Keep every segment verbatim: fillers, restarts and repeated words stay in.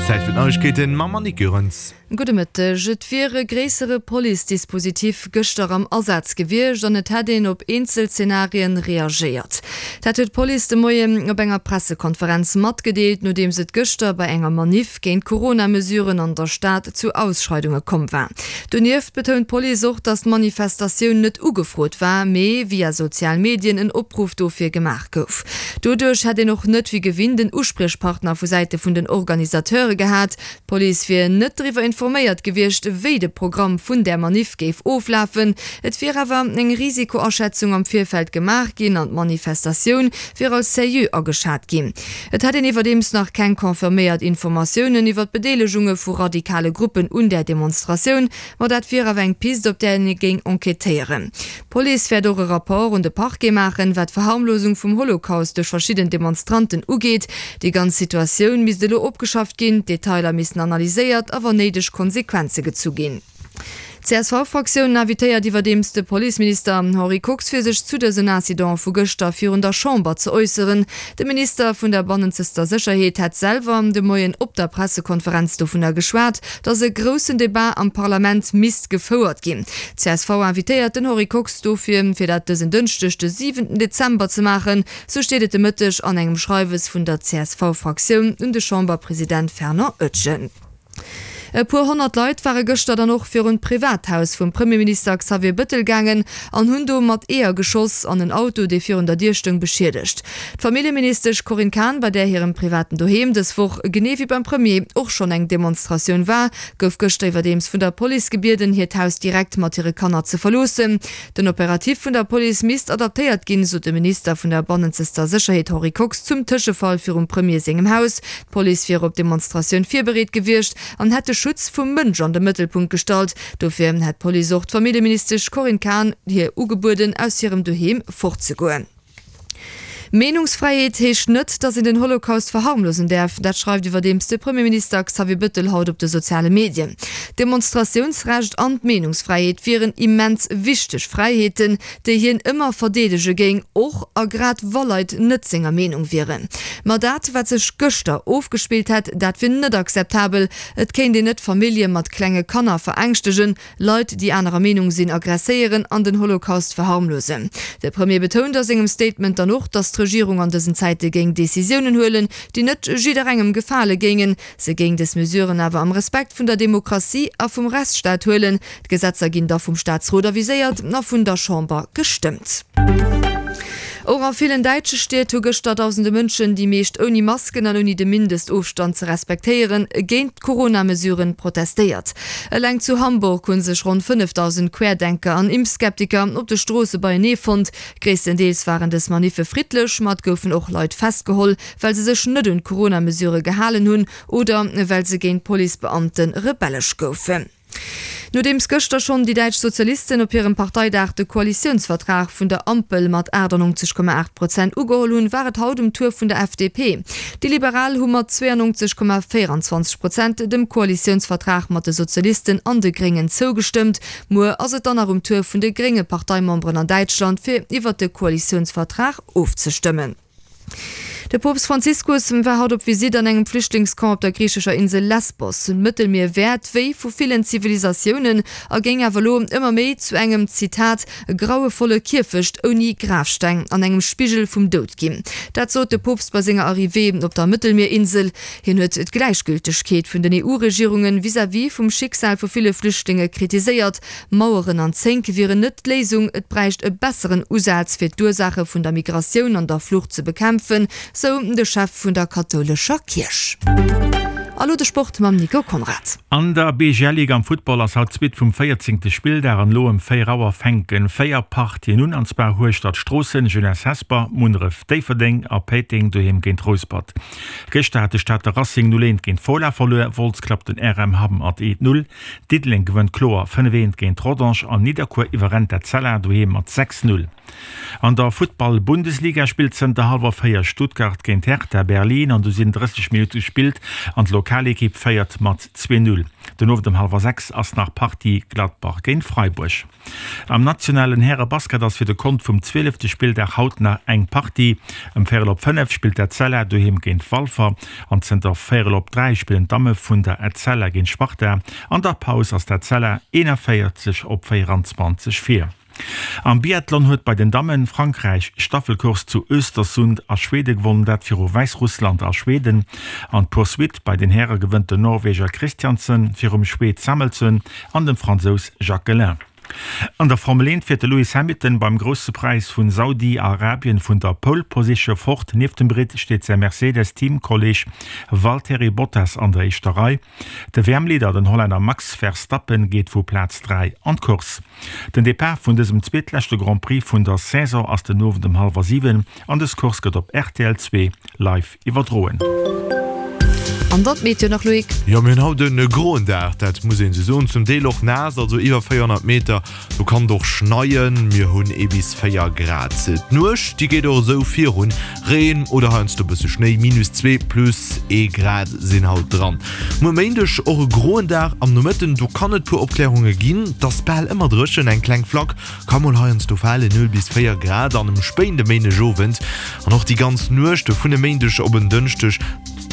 Zäit fir d'Neiegkeeten mam Monique Goerens. Gudde Mëtteg. Et wier e gréissere Police-Dispositif gëschter am Asaz gewiescht an et hätt een op eenzel Zenarien reagéiert. Dat huet d'Police de Moien op enger Pressekonferenz matgedeelt, nodeems et gëschter bei enger Maniff géint d'Corona-Mesuren an der Stad zu Ausschreidunge komm war. Donieft betount d'Police och, datt d'Manifestatioun net ugefrot war, mee via sozial Medien en Opruff dofir gemaach gouf. Doduerch hätt een och net wéi gewinnt en Uspriechpartner vu Säite vun den Organisateure gehat. D'Police wier net driwwer informéiert gewiescht, wéi de Programm vun där Maniff géif oflafen. Et wier awer eng Risikoaschätzung am Virfeld gemaach ginn an d'Manifestatioun wier als seriö ageschat ginn. Et hätt een iwwerdeems nach keng confirméiert Informatiounen iwwer d'Bedeelegunge vu radikale Gruppen un där Demonstratioun, ma dat wier awer eng Pist, op där ee géing enquêtéieren. D'Police wäert och e Rapport un de Parquet maachen, wat d'Verharmlosung vum Holocaust duerch verschidden Demonstranten ugeet. Déi ganz Situatioun misst elo opgeschafft ginn, d'Detailer missten analyséiert a wann néideg Konsequenze gezu ginn. D'CSV-Fraktioun invitéiert iwwerdeems de Policeminister Henri Kox fir sech zu dësen Incident vu gëschter virun der Chamber ze äusseren. De Minister vun der bannenzester Sécherheet hätt selwer de Moien op der Pressekonferenz dovunner geschwat, datt e groussen Debat am Parlament misst gefouert ginn. D'CSV invitéiert den Henri Kox dofir, fir dat dësen Dënschdeg de siwenten Dezember ze maachen, sou steet et de Mëtteg an engem Schreiwes vun der CSV-Fraktioun un de Chamberpresident Fernand Etgen. E puer honnert Leit ware gëschter dann och virun d'Privathaus vum Premierminister Xavier Bëttel gaangen an hunn do mat Eeër geschoss an en Auto, dee virun der Dier stoung, beschiedegt. D'Familljeministesch Corinne Cahen, bei där hirem privaten Doheem dës Woch, genee wéi beim Premier, och schonn eng Demonstratioun war, gouf gëschter iwwerdeems vun der Police gebieden, hiert Haus direkt mat hire Kanner ze verloossen. Den Operatif vun der Police misst adaptéiert ginn, sot de Minister vun der bannenzester Sécherheet Henri Kox zum Tëschefall virum Premier sengem Haus. D'Police wier op d'Demonstratioun virbereet gewiescht an hätt de Schutz vum Mënsch an de Mëttelpunkt gestallt. Dofir hätt d'Police och d'Familljeministesch Corinne Cahen hir ugebueden, aus hirem Doheem fortzegoen. Meenungsfräiheet heescht net, datt een den Holocaust verharmlosen däerf. Dat schreift iwwerdeems de Premierminister Xavier Bëttel haut op de soziale Medien. D'Demonstratiounsrecht an d'Meenungsfräiheet wieren immens wichteg Fräiheeten, déi hien ëmmer verdeedege géing, och a grad wa Leit net senger Meenung wieren. Ma dat, wat sech gëschter ofgespillt hätt, dat wier net akzeptabel. Et kéint een net Famillje mat klenge Kanner verängschtegen, Leit, déi anerer Meenung sinn, aggresséieren an den Holocaust verharmlosen. De Premier betount a sengem Statement dann och, datt d'Regierung an dësen Zäite géing Decisiounen huelen, déi net jidderengem gefale géingen. Se géing dës Mesuren awer am Respekt vun der Demokratie a vum Rechtsstaat huelen. D'Gesetzer ginn da vum Staatsrot aviséiert a vun der Chamber gestëmmt. Och a villen däitsche Stied hu gëschter dausende Mënschen, déi meescht ouni Masken an ouni de Mindestofstand ze respektéieren, géint d'Corona-Mesuren protestéiert. Eleng zu Hamburg hu sech ronn fënnefdausend Querdenker an Impfskeptiker op de Stroosse beienee fonnt. Gréisstendeels waren dës Maniffe friddlech, ma et goufen och Leit festgeholl, well se sech net un d'Corona-Mesurë gehalen hunn oder well se géint Policebeamte rebellesch goufen. Nodeems gëschter schonn déi däitsch Sozialisten op hirem Parteidag de Koalitiounsvertrag vun der Ampel mat achtannonzeg Komma aacht Prozent ugeholl hunn, war et haut um Tour vun der F D P. Déi Liberal hu mat zweeannonzeg Komma véierundzwanzeg Prozent dem Koalitiounsvertrag mat de Sozialisten an de Gréngen zougestëmmt. Muer ass et dann nach um Tour vun de grénge Parteimemberen an Däitschland, fir iwwert de Koalitiounsvertrag ofzestëmmen. De Poopst Franziskus war haut op Visitt an engem Flüchtlingscamp op der griichescher Insel Lesbos. D'Mëttelmier wär d'Wéi vu villen Zivilisatiounen a géing awer elo ëmmer méi zu engem, Zitat, grauevolle Kierfecht ouni Grafsteng an engem Spigel vum Doud ginn. Dat sot de Poopst bei senger Arrivée op der Mëttelmierinsel. Hien huet d'Gläichgültegkeet vun den E U-Regierunge vis-à-vis vum Schicksal vu ville Flüchtlinge kritiséiert. Maueren an Zénk wieren net d'Léisung, et bräicht e besseren Usaz fir d'Ursaache vun der Migratioun an der Flucht ze bekämpfen, sou de Chef vun der kathoulescher Kierch. A lo de Sport mam Nico Conrad. An der B G L Ligue am Futtball ass haut d'Suite vum véierzéngte Spilldag an elo ëm véier Auer fänken véier Partien un, an zwar Hueschtert Stroossen, Jeunesse Hesper, Munneref Déifferdeng a Péiteng doheem géint Rouspert. Gëschter hat de Stater Racing null eent géint Fola verluer, Wolz klappt den R M Hamm mat eent null, Diddeleng gewënnt kloer fënnef eent géint Rodange an Nidderkuer iwwerrennt Etzella doheem mat sechs null. An der Futtball-Bundesliga spillt zënter hallwer véier Stuttgart géint Hertha Berlin an do sinn drësseg Minutte gespillt an Lokalekipp féiert mat zwee Null. Den Owend um hallwer sechs ass nach Partie Gladbach géint Freiburg. Am nationalen Häre-Basket ass fir de Kont vum zwielefte Spilldag haut nach eng Partie. Ëm véierel op fënnef spillt d'Etzella doheem géint Walfer an zënter véierel op dräi spillen d'Damme vun der Etzella géint Sparta. An der Paus ass d'Etzella eenanvéierzeg op véieranzwanzeg vir. Am Biathlon huet bei den Dammen Frankräich d'Staffelcourse zu Östersund a Schwede gewonnen, dat viru Wäissrussland a Schweden. An d'Poursuite bei den Häre gewënnt den Norweger Christiansen virum Schwed Samuelsson an dem Fransous Jacquelin. An der Formel eent fiert de Lewis Hamilton beim Grousse Präis vun Saudi-Arabien vun der Pole Position fort. Nieft dem Britt steet säi Mercedes-Teamkolleeg Valtteri Bottas an der éischter Rei. De W M-Leader, den Hollänner Max Verstappen, geet vu Plaz dräi an d'Course. Den Depart vun dësem zweetleschte Grand Prix vun der Saison ass den Owend um hallwer siwen an dës Course gëtt op rtl zwee live iwwerdroen. An dann d'Meteo nach, Loïc. Jo, mir hunn haut e groen Dag, dat muss een esou soen, zum Deel och naass, also iwwer véierhonnert Meter, do kann et och schneien. Mir hunn ee bis véier Grad. D'Nuecht, déi geet och esou virun, Reen oder heiansdo e bësse Schnéi, minus zwee, plus ee Grad sinn haut dran. Muer Méindeg och e groen Dag, am Nomëtten, do kann et puer Opklärunge ginn, et ass bal ëmmer dréchen, eng kleng Flack ka mol heiansdo falen, null bis véier Grad an um spéinde Méindegowend an och déi ganz Nuecht vun e Méindeg op en Dënschdeg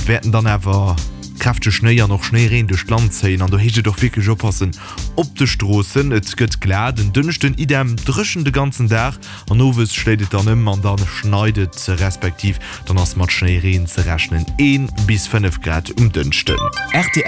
wäerten dann awer kräftege Schnéi an och Schnéireen duerch d'Land zéien an do heescht et och wierklech oppassen op de Stroossen. Et gëtt glat en Dënschden, idem dréchen de ganzen Dag an owes schléit et dann ëm an da schneit et respektiv dann ass mat Schnéireen ze rechnen. Een bis fënnef Grad um Dënschden. Rtl.